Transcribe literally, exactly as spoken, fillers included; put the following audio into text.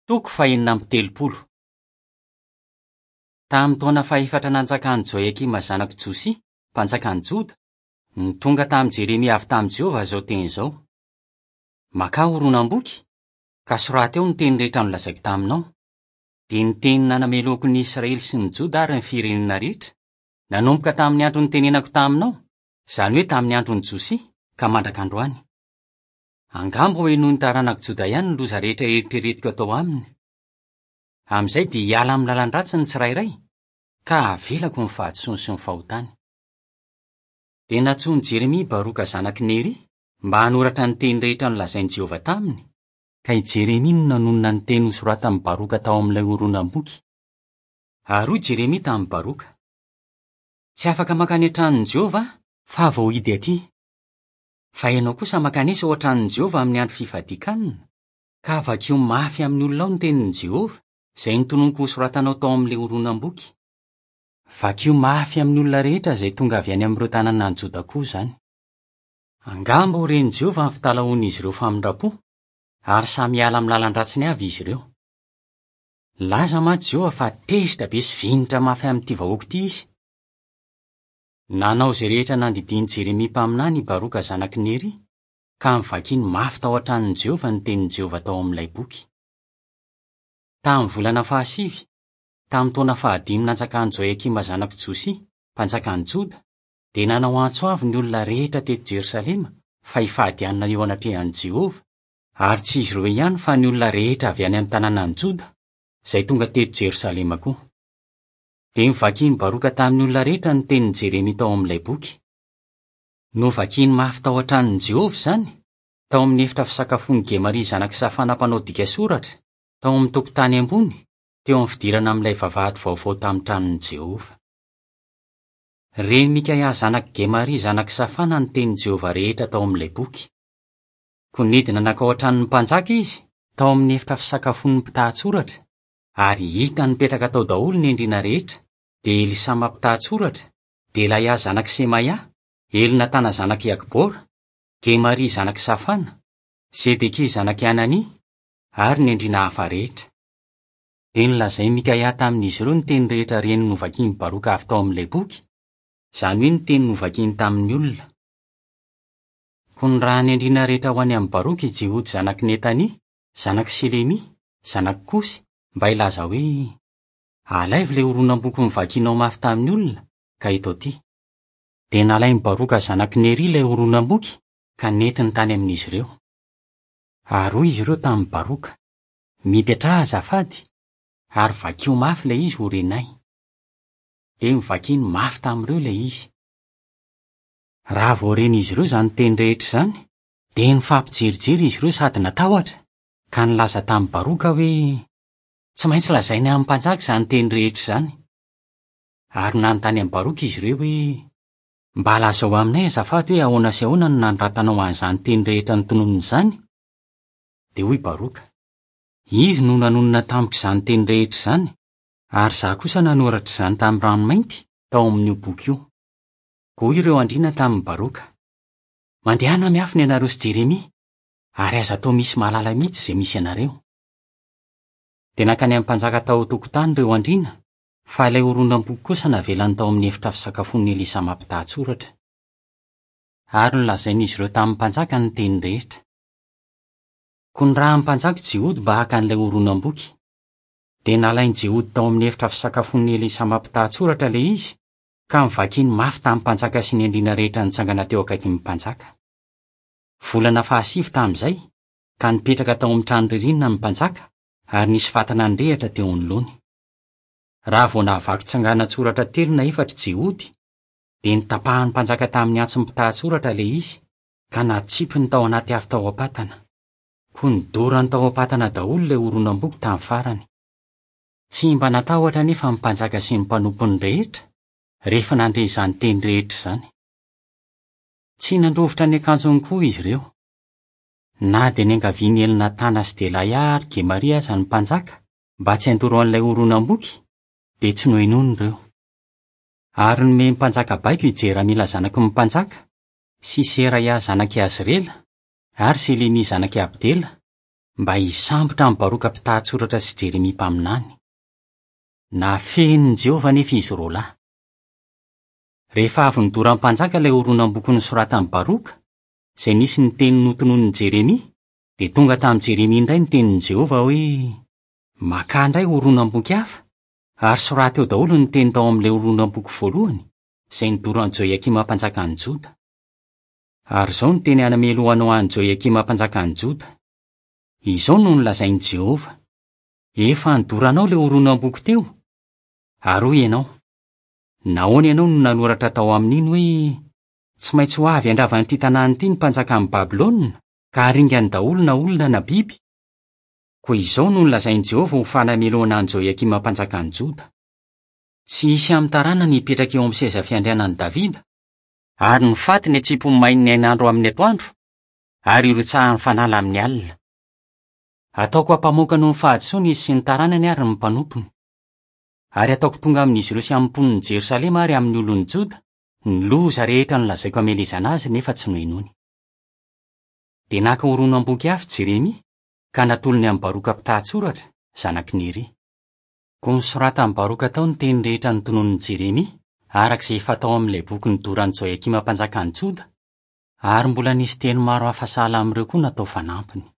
Toko fahenina amby telopolo. Tamin'ny taona fahefatra nanjakan'i Joiakima zanak'i Josia, mpanjakan'i Joda, no tonga tamin'i Jeremia avy tamin'i Jehovah izao teny izao: Makà horonam-boky, ka soraty eo ny teny rehetra nolazaiko taminao, dia ny teny nanamelohako ny Israely sy ny Joda ary ny firenena rehetra, nanomboka tamin'ny andro nitenenako taminao, izany hoe tamin'ny andron'i Josia, ka mandraka androany. Angamba ho henoin'ny taranak'i Joda ihany ny loza rehetra eritreretiko atao aminy. Amin'izay dia hiala amin'ny lalan-dratsy ny tsirairay, ka havelako ny fahadisoany sy ny fahotany. Dia nantsoin'i Jeremia Baroka zanak'i Neria mba hanoratra ny teny rehetra nolazain'i Jehovah taminy, ka i Jeremia no nanonona ny teny nosoratan'i Baroka tao amin'ilay horonam-boky. Ary hoy Jeremia tamin'i Baroka: Tsy afaka mankany an-tranon'i Jehovah aho, fa vao hidy aty. Fa ianao kosa mankanesa ao an-tranon'i Jehovah amin'ny andro fifadian-kanina, ka vakio mafy amin'ny olona ao ny tenin'i Jehovah, izay notononiko hosoratanao tao amin'ilay horonam-boky. Vakio mafy amin'ny olona rehetra izay tonga avy any amin'ireo tanànan'i Joda koa izany. Angamba ho ren'i Jehovah ny fitalahoan'izy ireo famindram-po, ary samy hiala amin'ny lalan-dratsiny avy izy ireo. Nilaza mantsy Jehovah fa tezitra be sy vinitra mafy amin'ity vahoaka ity izy. Nanao izay rehetra nandidian'i Jeremia mpaminany i Baroka zanak'i Neria, ka novakiny mafy tao an-tranon'i Jehovah ny tenin'i Jehovah tao amin'ilay boky. Tamin'ny volana fahasivy, tamin'ny taona fahadimy nanjakan'i Joiakima zanak'i Josia, mpanjakan'i Joda, dia nanao antso avo ny olona rehetra teto Jerosalema fa hifady hanina eo anatrehan'i Jehovah, ary tsy izy ireo ihany fa ny olona rehetra avy any amin'ny tanànan'i Joda, izay tonga teto Jerosalema koa. Dia novakin'i Baroka tamin'ny olona rehetra ny tenin'i Jeremia tao amin'ilay boky. Novakiny mafy tao an-tranon'i Jehovah izany, tao amin'ny efitra fisakafoan'i Gemaria zanak'i Safana mpanao dika soratra, tao amin'ny tokotany ambony, teo amin'ny fidirana amin'ilay vavahady vaovao tamin'ny tranon'i Jehovah. Ren'i Mikaia zanak'i Gemaria zanak'i Safana ny tenin'i Jehovah rehetra tao amin'ilay boky. Koa nidina nankao an-tranon'ny mpanjaka izy, tao amin'ny efitra fisakafoan'ny mpitahatsoratra, ary hita nipetraka tao daholo ny andriana rehetra, dia Elisama mpitahatsoratra, Delaia zanak'i Semaia, Elnatana zanak'i Akbora, Gemaria zanak'i Safana, Zedekia zanak'i Anania, ary ny andriana hafa rehetra. Dia nolazain'i Mikaia tamin'izy ireo ny teny rehetra reny novakin'i Baroka avy tao amin'ilay boky, izany hoe ny teny novakiny tamin'ny olona. Koa nirahan'ny andriana rehetra ho any amin'i Baroka i Jehody zanak'i Netania, zanak'i Selemia, zanak'i Kosy, mba hilaza hoe: Alaivo ilay horonam-boky novakinao mafy tamin'ny olona, ka eto aty. Dia nalain'i Baroka zanak'i Neria ilay horonam-boky, ka nentiny tany amin'izy ireo. Ary hoy izy ireo tamin'i Baroka: Mipetraha azafady, ary vakio mafy ilay izy ho renay. Dia novakiny mafy tamin'ireo ilay izy. Raha vao ren'izy ireo izany teny rehetra izany, dia nifampijerijery izy ireo sady natahotra, ka nilaza tamin'i Baroka hoe: Tsy maintsy lazainy amin'ny mpanjaka izany teny rehetra izany. Ary nanontany amin'i Baroka izy ireo hoe: Mba lazao aminay azafady hoe ahoana sy ahoana no nanoratanao an'izany teny rehetra notononina izany? Dia hoy Baroka: Izy no nanonona tamiko izany teny rehetra izany, ary izaho kosa nanoratra izany tamin'ny ranomainty tao amin'io boky io. Koa hoy ireo andriana tamin'i Baroka: Mandehana miafina ianareo sy Jeremia, ary aza atao misy mahalala mihitsy izay misy anareo. Dia nankany amin'ny mpanjaka tao an-tokotany ireo andriana, fa ilay horonam-boky kosa navelany tao amin'ny efitra fisakafoan'i Elisama mpitahatsoratra. Ary nolazain'izy ireo tamin'ny mpanjaka ny teny rehetra. Koa nirahan'ny mpanjaka Jehody mba haka an'ilay horonam-boky. Dia nalain'i Jehody tao amin'ny efitra fisakafoan'i Elisama mpitahatsoratra ilay izy, ka novakiny mafy tamin'ny mpanjaka sy ny andriana rehetra nitsangana teo akaikin'ny mpanjaka. Volana fahasivy tamin'izay, ka nipetraka tao amin'ny trano ririnina ny mpanjaka, ary nisy fatana nirehitra teo anoloany. Raha vao nahavaky tsanganan-tsoratra telo na efatra Jehody, dia notapahan'ny mpanjaka tamin'ny antsin'ny mpitahatsoratra ilay izy, ka natsipiny tao anaty afo tao am-patana. Koa nodorany tao am-patana daholo ilay horonam-boky tamin'ny farany. Tsy mba natahotra anefa ny mpanjaka sy ny mpanompony rehetra, rehefa nandre izany teny rehetra izany. Tsy nandrovitra ny akanjony koa izy ireo. Na dia niangavian'i Elnatana sy Delaia ary Gemaria aza ny mpanjaka mba tsy handoro an'ilay horonam-boky, dia tsy nohenoiny ireo. Ary nomen'ny mpanjaka baiko i Jeramila zanaky ny mpanjaka, sy Seraia zanak'i Azrela, ary Selemia zanak'i Abdela, mba hisambotra an'i Baroka mpitan-tsoratra sy Jeremia mpaminany. Nafenin'i Jehovah anefa izy roa lahy. Rehefa avy nodoran'ny mpanjaka ilay horonam-boky nosoratan'i Baroka, izay nisy ny teny notononin'i Jeremia, dia tonga tamin'i Jeremia indray ny tenin'i Jehovah hoe: "Makà indray horonam-boky hafa, ary soraty eo daholo ny teny tao amin'ilay horonam-boky voalohany, izay nodoran'i Joiakima mpanjakan'i Joda. Ary izao no teny hanamelohanao an'i Joiakima mpanjakan'i Joda: Izao no nolazain'i Jehovah: Efa nodoranao ilay horonam-boky teo, ary hoy ianao: Nahoana ianao no nanoratra tao amin'iny hoe tsy maintsy ho avy handrava an'ity tanàna ity ny mpanjakan'i Babylona ka haringany daholo na olona na biby? Koa izao no nolazain'i Jehovah ho fanamelohana an'i Joiakima mpanjakan'i Joda: Tsy hisy amin'ny taranany hipetraka eo amin'ny seza fiandrianan'i Davida, ary ny fatiny hatsipy ho main'ny hainandro amin'ny atoandro, ary hirotsahan'ny fanala amin'ny alina. Ataoko hampamoaka noho ny fahadisoany izy sy ny taranany ary ny mpanompony. Ary ataoko tonga amin'izy ireo sy amin'ny mponin'i Jerosalema ary amin'ny olon'i Joda ny loza rehetra nolazaiko hamelezana azy nefa tsy nohenoiny." Dia naka horonam-boky hafa Jeremia ka natolony amin'i Baroka mpitan-tsoratra, zanak'i Neria. Koa nosoratan'i Baroka tao ny teny rehetra notononin'i Jeremia, araka izay efa tao amin'ilay boky nodoran'i Joiakima mpanjakan'i Joda, ary mbola nisy teny maro hafa sahala amin'ireo koa natao fanampiny.